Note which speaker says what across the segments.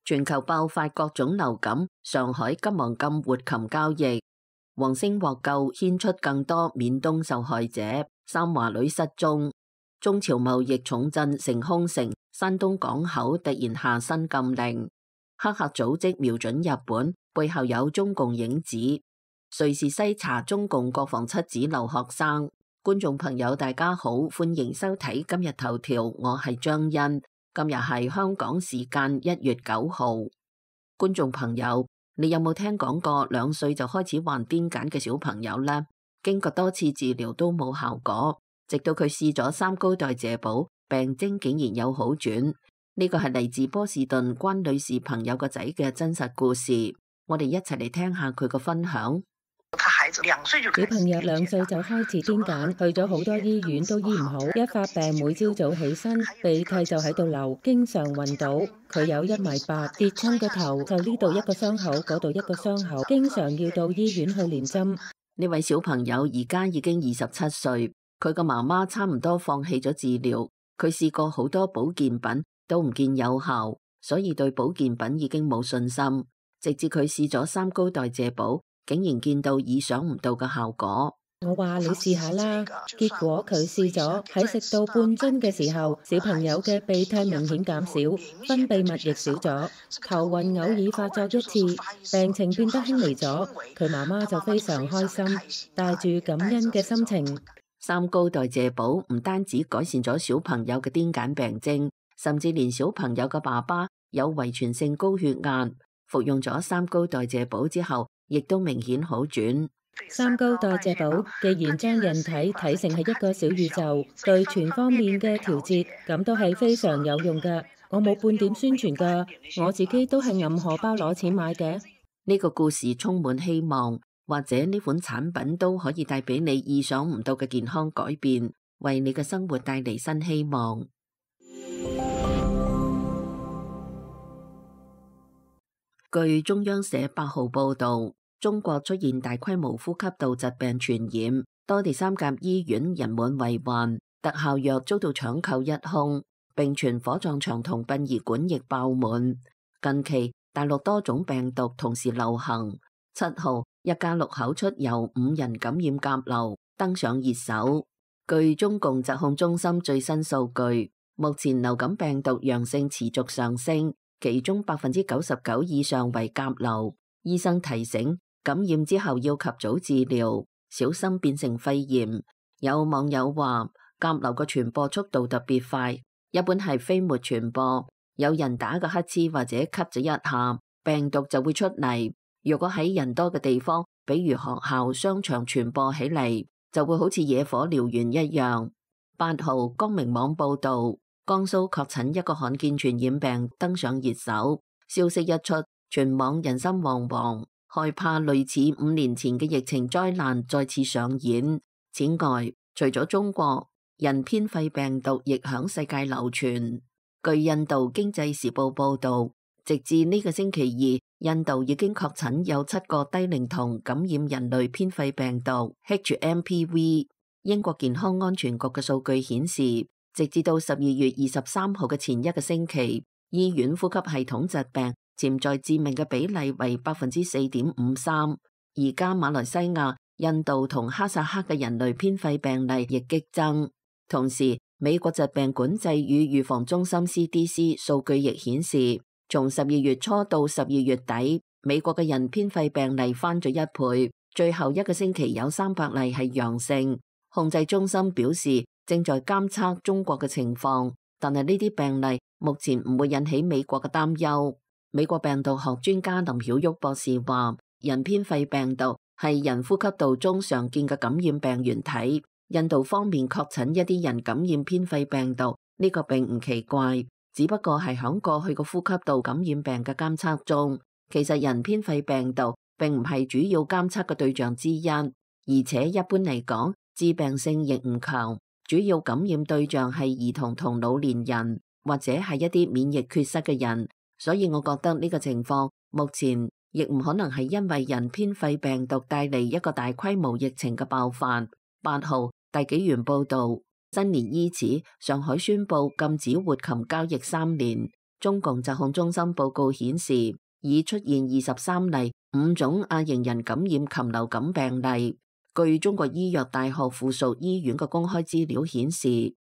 Speaker 1: 全球爆發各種流感，上海急忙禁活禽交易。黃星獲救，牽出更多緬東受害者。三華女失蹤。中朝貿易重鎮成空城，山東港口突然下新禁令。黑客組織瞄準日本，背後有中共影子。瑞士篩查中共國防七子留學生。觀眾朋友大家好，歡迎收睇今日頭條，我係張欣。今日係香港時間1月9號。觀眾朋友，你有冇聽講過2歲就開始患癲癇嘅小朋友呢？經過多次治療都冇效果，直到佢試咗3高代謝寶，病徵竟然有好轉。呢個係嚟自波士頓關女士朋友個仔嘅真實故事，我哋一齊嚟聽下佢個分享。
Speaker 2: 小朋友2歲就開始癲癇，去咗好多醫院都醫唔好，一發病每朝早起身鼻涕就喺度流，經常暈倒。佢有1.8米，跌親個頭就呢度一個傷口，嗰度一個傷口，經常要到醫院去連針。
Speaker 1: 呢位小朋友而家已經27歲，佢個媽媽差唔多放棄咗治療，佢試過好多保健品都唔見有效，所以對保健品已經冇信心。直至佢試咗3高代謝寶，竟然見到意想唔到嘅效果。
Speaker 2: 我話你試下啦，結果佢試咗，喺食到半樽嘅時候，小朋友嘅鼻涕明顯減少，分泌物亦少咗，頭暈偶爾發作1次，病情變得輕微咗。佢媽媽就非常開心，帶住感恩嘅心情。
Speaker 1: 3高代謝寶唔單止改善咗小朋友嘅癲癇病徵，甚至連小朋友嘅爸爸有遺傳性高血壓，服用咗3高代謝寶之後，亦都明顯好轉。
Speaker 2: 3高代謝寶既然將人體睇成係一個小宇宙，對全方面嘅調節，咁都係非常有用㗎。我冇半點宣傳㗎，我自己都係揞荷包攞錢買嘅。
Speaker 1: 呢個故事充滿希望，或者呢款產品都可以帶俾你意想唔到嘅健康改變，為你嘅生活帶嚟新希望。據中央社8號報道，中國出現大規模呼吸道疾病傳染，多地3甲醫院人滿為患，特效藥遭到搶購一空，並傳火葬場同殯儀館亦爆滿。近期大陸多種病毒同時流行。7號一家6口出遊5人感染甲流，登上熱搜。據中共疾控中心最新數據，目前流感病毒陽性持續上升，其中99%以上為甲流。醫生提醒，感染之後要及早治療，小心變成肺炎。有網友話，甲流嘅傳播速度特別快，一般係飛沫傳播，有人打個乞嗤或者咳咗一下，病毒就會出嚟。如果喺人多嘅地方，比如學校、商場傳播起嚟，就會好似野火燎原一樣。8號光明網報道，江蘇確診一個罕見傳染病登上熱搜，消息一出，全網人心惶惶，害怕類似5年前嘅疫情災難再次上演。此外，除咗中國，人偏肺病毒亦響世界流傳。據印度經濟時報報道，直至呢個星期2，印度已經確診有7個低齡童感染人類偏肺病毒 HMPV。英國健康安全局嘅數據顯示，直至到12月23號嘅前一個星期，醫院呼吸系統疾病潛在致命嘅比例為 4.53%。而家馬來西亞、印度同哈薩克嘅人類偏肺病例亦激增。同時，美國疾病管制與預防中心 CDC 數據亦顯示，從12月初到12月底，美國嘅人偏肺病例翻咗1倍，最後一個星期有300例係陽性。控制中心表示正在監測中國嘅情況，但係呢啲病例目前唔會引起美國嘅擔憂。美國病毒學專家林曉旭博士話，人偏肺病毒係人呼吸道中常見嘅感染病原體。印度方面確診一啲人感染偏肺病毒，呢個並唔奇怪，只不過係響過去個呼吸道感染病嘅監測中，其實人偏肺病毒並唔係主要監測嘅對象之一，而且一般嚟講，致病性亦唔強，主要感染對象係兒童同老年人，或者係一啲免疫缺失嘅人，所以我覺得呢個情況目前亦唔可能係因為人偏肺病毒帶嚟一個大規模疫情嘅爆發。8號大紀元報道，新年伊始，上海宣布禁止活禽交易3年。中共疾控中心報告顯示，已出現23例5種亞型人感染禽流感病例。據中國醫藥大學附屬醫院嘅公開資料顯示，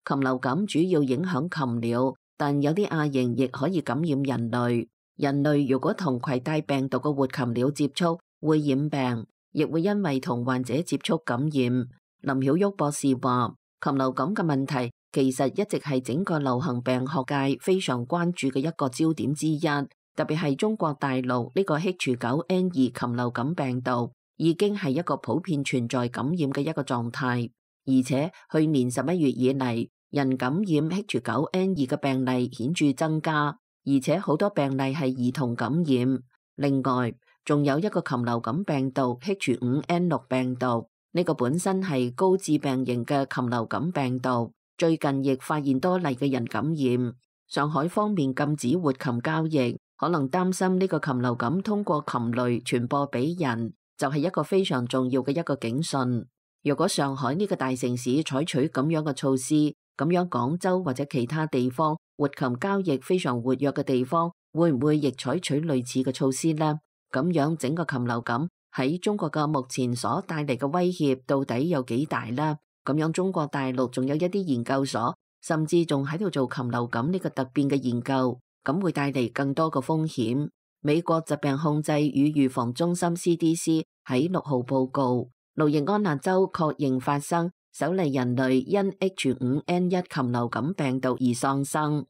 Speaker 1: 禽流感主要影響禽鳥，但有啲亞型亦可以感染人類。人類如果同攜帶病毒嘅活禽鳥接觸，會染病，亦會因為同患者接觸感染。林曉旭博士話，禽流感嘅問題其實一直係整個流行病學界非常關注嘅一個焦點之一，特別係中國大陸呢個 H9N2 禽流感病毒已經係一個普遍存在感染嘅一個狀態，而且去年11月以嚟，人感染 H9N2 嘅病例顯著增加，而且好多病例係兒童感染。另外，仲有一個禽流感病毒 H5N6 病毒，呢個本身係高致病型嘅禽流感病毒，最近亦發現多例嘅人感染。上海方面禁止活禽交易，可能擔心呢個禽流感通過禽類傳播俾人，就係一個非常重要嘅一個警訊。如果上海呢個大城市採取咁樣嘅措施，咁樣廣州或者其他地方活禽交易非常活躍嘅地方，會唔會亦採取類似嘅措施呢？咁樣整個禽流感喺中國嘅目前所帶嚟嘅威脅到底有幾大呢？咁樣中國大陸仲有一啲研究所，甚至仲喺度做禽流感呢個突變嘅研究，咁會帶嚟更多嘅風險。美國疾病控制與預防中心 CDC 喺6號報告，路易安那州確認發生首例人類因 H5N1 禽流感病毒而喪生。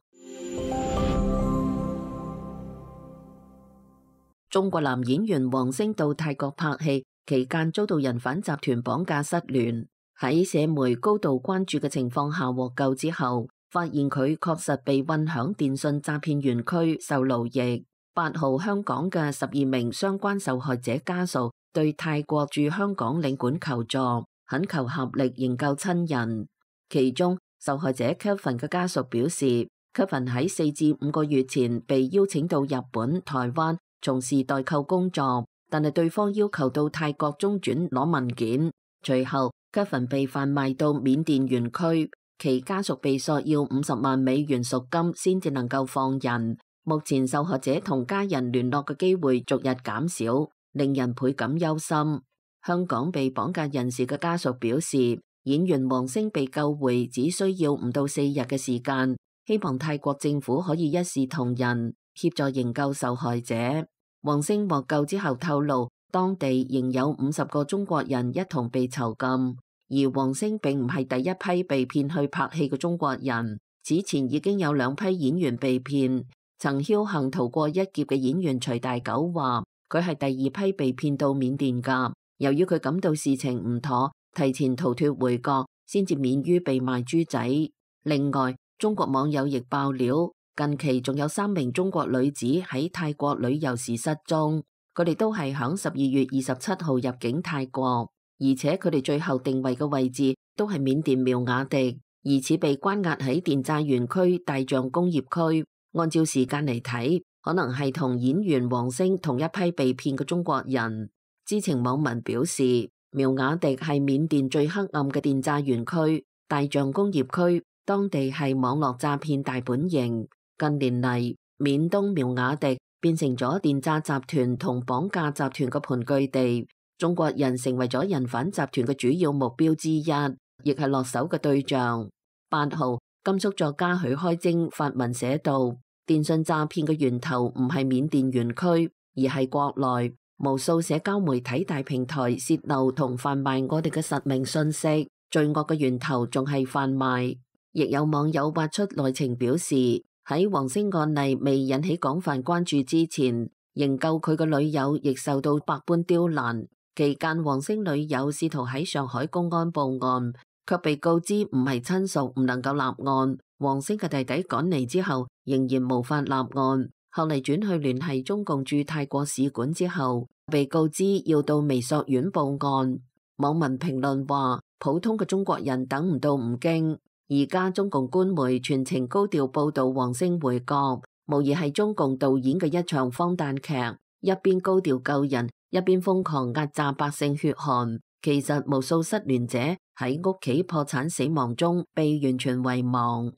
Speaker 1: 中國男演員王星到泰國拍戲期間遭到人販集團綁架失聯，喺社媒高度關注嘅情況下獲救之後，發現佢確實被運響電信詐騙園區受奴役。8號香港嘅12名相關受害者家屬對泰國駐香港領館求助，懇求合力營救親人。其中受害者 Kevin 嘅家屬表示，Kevin 喺4至5個月前被邀請到日本、台灣從事代購工作，但係對方要求到泰國中轉攞文件。隨後 Kevin 被販賣到緬甸園區，其家屬被索要50萬美元贖金先至能夠放人。目前受害者同家人聯絡嘅機會逐日減少，令人倍感憂心。香港被綁架人士嘅家屬表示，演員王星被救回只需要5到4日嘅時間，希望泰國政府可以一視同仁，協助營救受害者。王星獲救之後透露，當地仍有50個中國人一同被囚禁，而王星並唔係第一批被騙去拍戲嘅中國人，此前已經有2批演員被騙。曾僥倖逃過一劫嘅演員徐大九話，佢係第2批被騙到緬甸㗎。由於佢感到事情唔妥，提前逃脫回國，先至免於被賣豬仔。另外，中國網友亦爆料，近期仲有3名中國女子喺泰國旅遊時失蹤，佢哋都係響12月27號入境泰國，而且佢哋最後定位嘅位置都係緬甸苗瓦迪，疑似被關押喺電詐園區大象工業區。按照時間嚟睇，可能係同演員王星同一批被騙嘅中國人。知情網民表示，苗瓦迪係緬甸最黑暗嘅電詐園區，大象工業區當地係網絡詐騙大本營。近年嚟，緬東苗瓦迪變成咗電詐集團同綁架集團嘅盤踞地，中國人成為咗人販集團嘅主要目標之一，亦係落手嘅對象。8號，甘肅作家許開貞發文寫道，電信詐騙嘅源頭唔係緬甸園區，而係國內無數社交媒體大平台洩漏同販賣我哋嘅實名信息，罪惡嘅源頭仲係販賣。亦有網友挖出內情表示，喺王星案例未引起廣泛關注之前，營救佢嘅女友亦受到百般刁難。期間，王星女友試圖喺上海公安報案，卻被告知唔係親屬，唔能夠立案。王星嘅弟弟趕嚟之後，仍然無法立案。後嚟轉去聯繫中共駐泰國使館之後，被告知要到微索院報案。網民評論話，普通嘅中國人等唔到唔驚。而家中共官媒全程高調報道王星回國，無疑係中共導演嘅一場荒誕劇，一邊高調救人，一邊瘋狂壓榨百姓血汗。其實無數失聯者喺屋企破產死亡中被完全遺忘。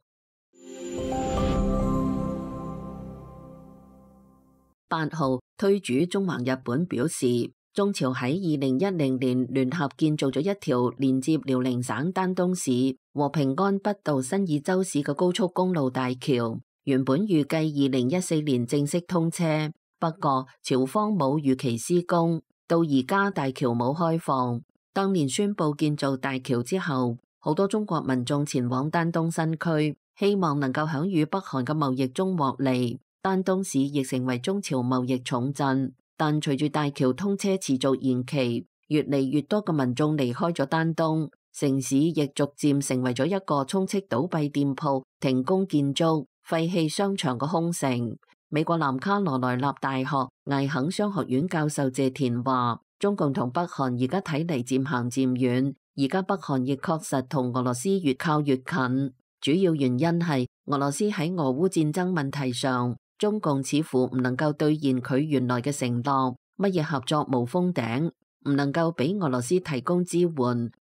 Speaker 1: 8號，推主中華日本表示，中朝喺2010年聯合建造咗一條連接遼寧省丹東市和平安北道新義州市嘅高速公路大橋，原本預計2014年正式通車，不過朝方冇如期施工，到而家大橋冇開放。當年宣布建造大橋之後，好多中國民眾前往丹東新區，希望能夠響與北韓嘅貿易中獲利。丹東市亦成為中朝貿易重鎮，但隨住大橋通車持續延期，越嚟越多嘅民眾離開咗丹東，城市亦逐漸成為咗一個充斥倒閉店鋪、停工建築、廢棄商場嘅空城。美國南卡羅來納大學艾肯商學院教授謝田話，中共同北韓而家睇嚟漸行漸遠，而家北韓亦確實同俄羅斯越靠越近，主要原因係俄羅斯喺俄烏戰爭問題上，中共似乎唔能夠兌現佢原來嘅承諾，乜嘢合作無封頂，唔能夠俾俄羅斯提供支援，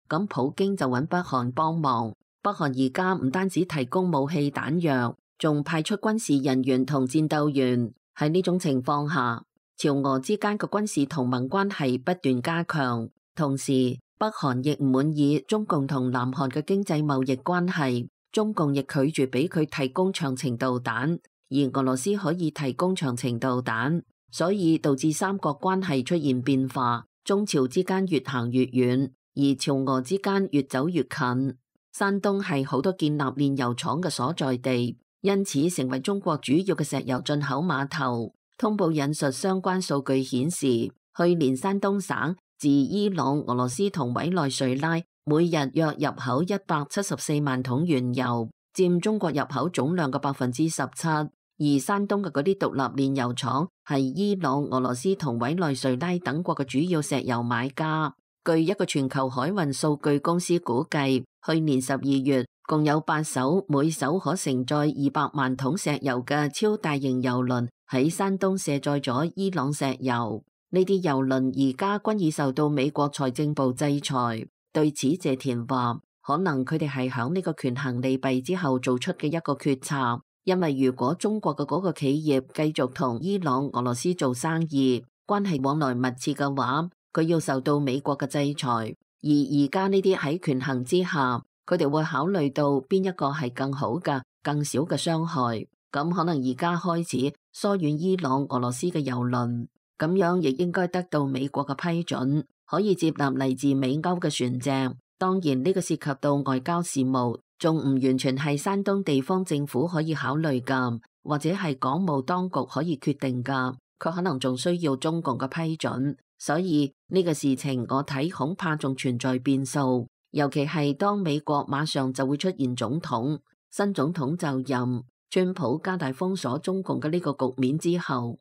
Speaker 1: 咁普京就揾北韓幫忙。北韓而家唔單止提供武器彈藥，仲派出軍事人員同戰鬥員。喺呢種情況下，朝俄之間嘅軍事同盟關係不斷加強，同時北韓亦唔滿意中共同南韓嘅經濟貿易關係，中共亦拒絕俾佢提供長程導彈，而俄羅斯可以提供長程導彈，所以導致三國關係出現變化，中朝之間越行越遠，而朝俄之間越走越近。山東係好多建立煉油廠嘅所在地，因此成為中國主要嘅石油進口碼頭。通報引述相關數據顯示，去年山東省自伊朗、俄羅斯同委內瑞拉每日約入口174萬桶原油，佔中國入口總量嘅17%。而山東嘅嗰啲獨立煉油廠係伊朗、俄羅斯同委內瑞拉等國嘅主要石油買家。據一個全球海運數據公司估計，去年12月共有8艘每艘可承載200萬桶石油嘅超大型油輪喺山東卸載咗伊朗石油。呢啲油輪而家均已受到美國財政部制裁。對此，謝田話，可能佢哋係響呢個權衡利弊之後做出嘅一個決策。因為如果中國嘅嗰個企業繼續同伊朗、俄羅斯做生意，關係往來密切嘅話，佢要受到美國嘅制裁。而而家呢啲喺權衡之下，佢哋會考慮到邊一個係更好嘅、更少嘅傷害。咁可能而家開始疏遠伊朗、俄羅斯嘅油輪，咁樣亦應該得到美國嘅批准，可以接納嚟自美歐嘅船隻。當然呢個涉及到外交事務，仲唔完全係山東地方政府可以考慮噶，或者係港務當局可以決定噶，佢可能仲需要中共嘅批准。所以呢個事情我睇恐怕仲存在變數，尤其係當美國馬上就會出現總統，新總統就任，川普加大封鎖中共嘅呢個局面之後。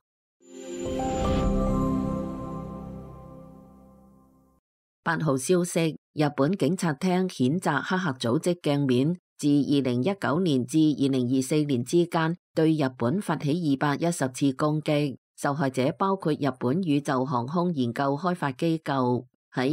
Speaker 1: 8號消息，日本警察廳譴責黑客組織鏡面自2019年至2024年之間對日本發起210次攻擊，受害者包括日本宇宙航空研究開發機構。喺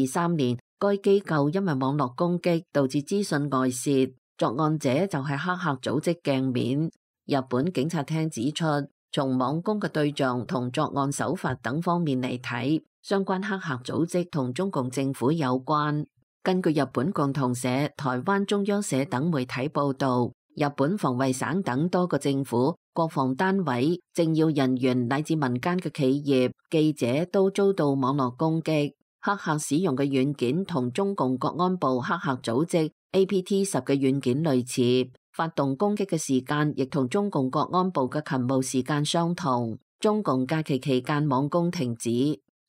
Speaker 1: 2023年，該機構因為網絡攻擊導致資訊外泄，作案者就係黑客組織鏡面。日本警察廳指出，從網攻嘅對象同作案手法等方面嚟睇，相關黑客組織同中共政府有關。根據日本共同社、台灣中央社等媒體報道，日本防衛省等多個政府、國防單位、政要人員乃至民間嘅企業、記者都遭到網絡攻擊。黑客使用嘅軟件同中共國安部黑客組織 APT10嘅軟件類似，發動攻擊嘅時間亦同中共國安部嘅勤務時間相同。中共假期期間網攻停止。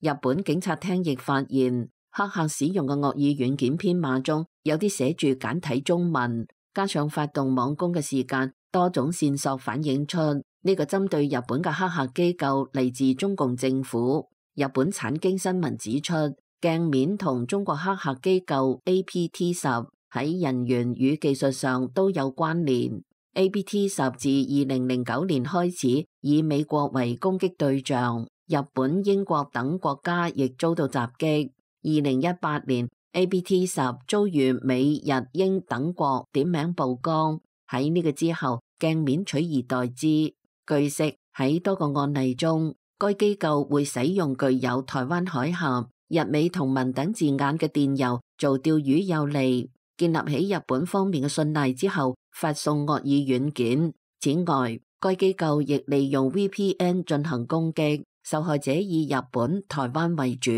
Speaker 1: 日本警察廳亦發現，黑客使用嘅惡意軟件編碼中有啲寫住簡體中文，加上發動網攻嘅時間，多種線索反映出呢個針對日本嘅黑客機構嚟自中共政府。日本產經新聞指出，鏡面同中國黑客機構 APT10喺人員與技術上都有關聯。APT10自2009年開始以美國為攻擊對象。日本、英國等國家亦遭到襲擊。2018年 APT10遭遇美、日、英等國點名曝光。喺呢個之後，鏡面取而代之。據悉，喺多個案例中，該機構會使用具有台灣海峽、日美同盟等字眼嘅電郵做釣魚誘餌，建立起日本方面嘅信賴之後，發送惡意軟件。此外，該機構亦利用 VPN 進行攻擊，受害者以日本、台灣為主。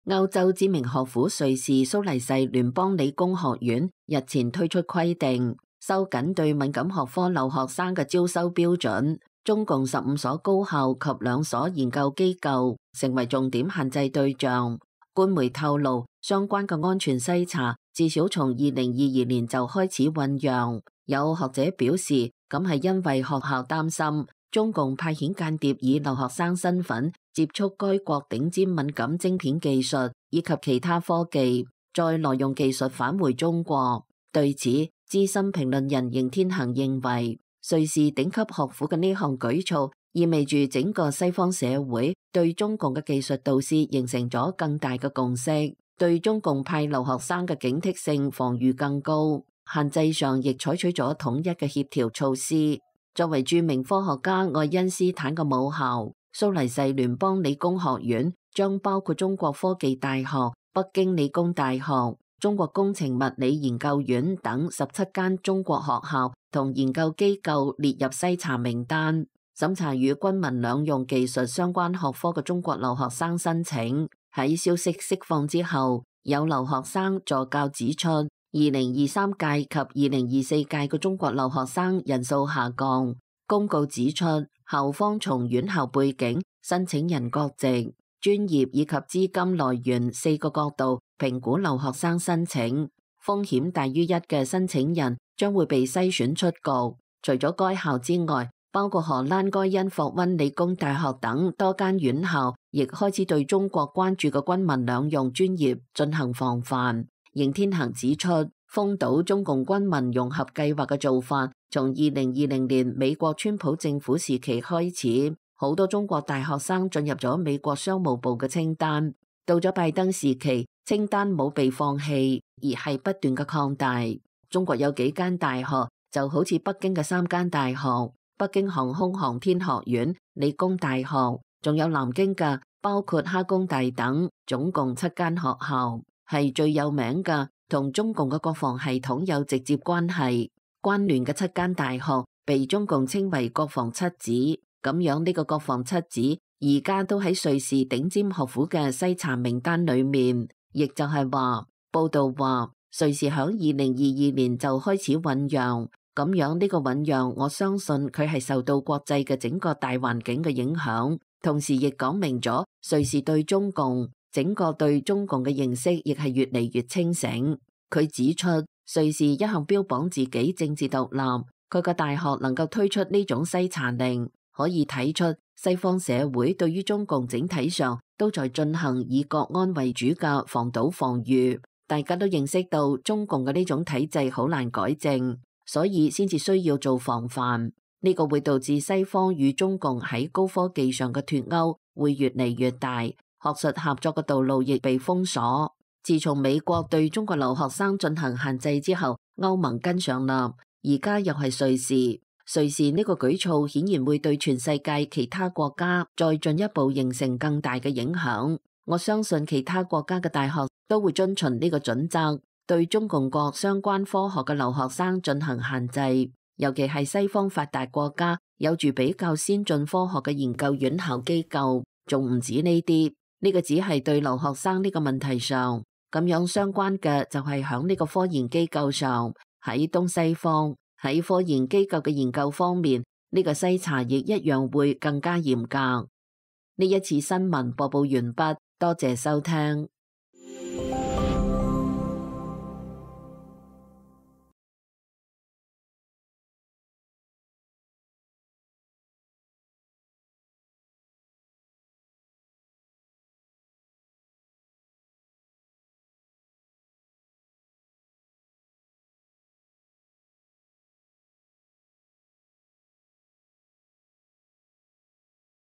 Speaker 1: 歐洲知名學府瑞士蘇黎世聯邦理工學院日前推出規定，收緊對敏感學科留學生嘅招收標準，中共15所高校及2所研究機構成為重點限制對象。官媒透露，相關嘅安全篩查至少從2022年就開始醞釀。有學者表示，咁係因為學校擔心中共派遣間諜以留學生身份接觸該國頂尖敏感晶片技術以及其他科技，再挪用技術返回中國。對此，資深評論人邢天行認為，瑞士頂級學府嘅呢項舉措意味住整個西方社會對中共嘅技術導師形成咗更大嘅共識，對中共派留學生嘅警惕性防禦更高，限制上亦採取咗統一嘅協調措施。作為著名科學家愛因斯坦嘅母校，蘇黎世聯邦理工學院將包括中國科技大學、北京理工大學、中國工程物理研究院等17間中國學校同研究機構列入篩查名單，審查與軍民兩用技術相關學科嘅中國留學生申請。喺消息釋放之後，有留學生助教指出，2023屆及2024屆嘅中國留學生人數下降。公告指出，校方從院校背景、申請人國籍、專業以及資金來源4個角度評估留學生申請，風險大於1嘅申請人將會被篩選出局。除咗該校之外，包括荷蘭該因霍溫理工大學等多間院校，亦開始對中國關注嘅軍民兩用專業進行防範。邢天行指出，封堵中共軍民融合計劃嘅做法，從2020年美國川普政府時期開始，好多中國大學生進入咗美國商務部嘅清單。到咗拜登時期，清單冇被放棄，而係不斷嘅擴大。中國有幾間大學，就好似北京嘅3間大學，北京航空航天學院、理工大學，仲有南京嘅，包括哈工大等，總共7間學校。係最有名嘅，同中共嘅國防系統有直接關係關聯嘅7間大學，被中共稱為國防七子。咁樣呢個國防七子而家都喺瑞士頂尖學府嘅篩查名單裏面，亦就係話，報道話瑞士響2022年就開始醞釀。咁樣呢個醞釀，我相信佢係受到國際嘅整個大環境嘅影響，同時亦講明咗瑞士對中共整個對中共嘅認識亦係越嚟越清醒。佢指出，瑞士一向標榜自己政治獨立，佢個大學能夠推出呢種篩查令，可以睇出西方社會對於中共整體上都在進行以國安為主嘅防堵防禦。大家都認識到中共嘅呢種體制好難改正，所以先至需要做防範。呢個會導致西方與中共喺高科技上嘅脫鈎會越嚟越大。學術合作嘅道路亦被封鎖。自從美國對中國留學生進行限制之後，歐盟跟上啦，而家又係瑞士。瑞士呢個舉措顯然會對全世界其他國家再進一步形成更大嘅影響。我相信其他國家嘅大學都會遵循呢個準則，對中共國相關科學嘅留學生進行限制，尤其係西方發達國家有住比較先進科學嘅研究院校機構，仲唔止呢啲。呢個只係對留學生呢個問題上，咁樣相關嘅就係響呢個科研機構上，喺東西方喺科研機構嘅研究方面，呢個篩查亦一樣會更加嚴格。呢一次新聞播報完畢，多謝收聽。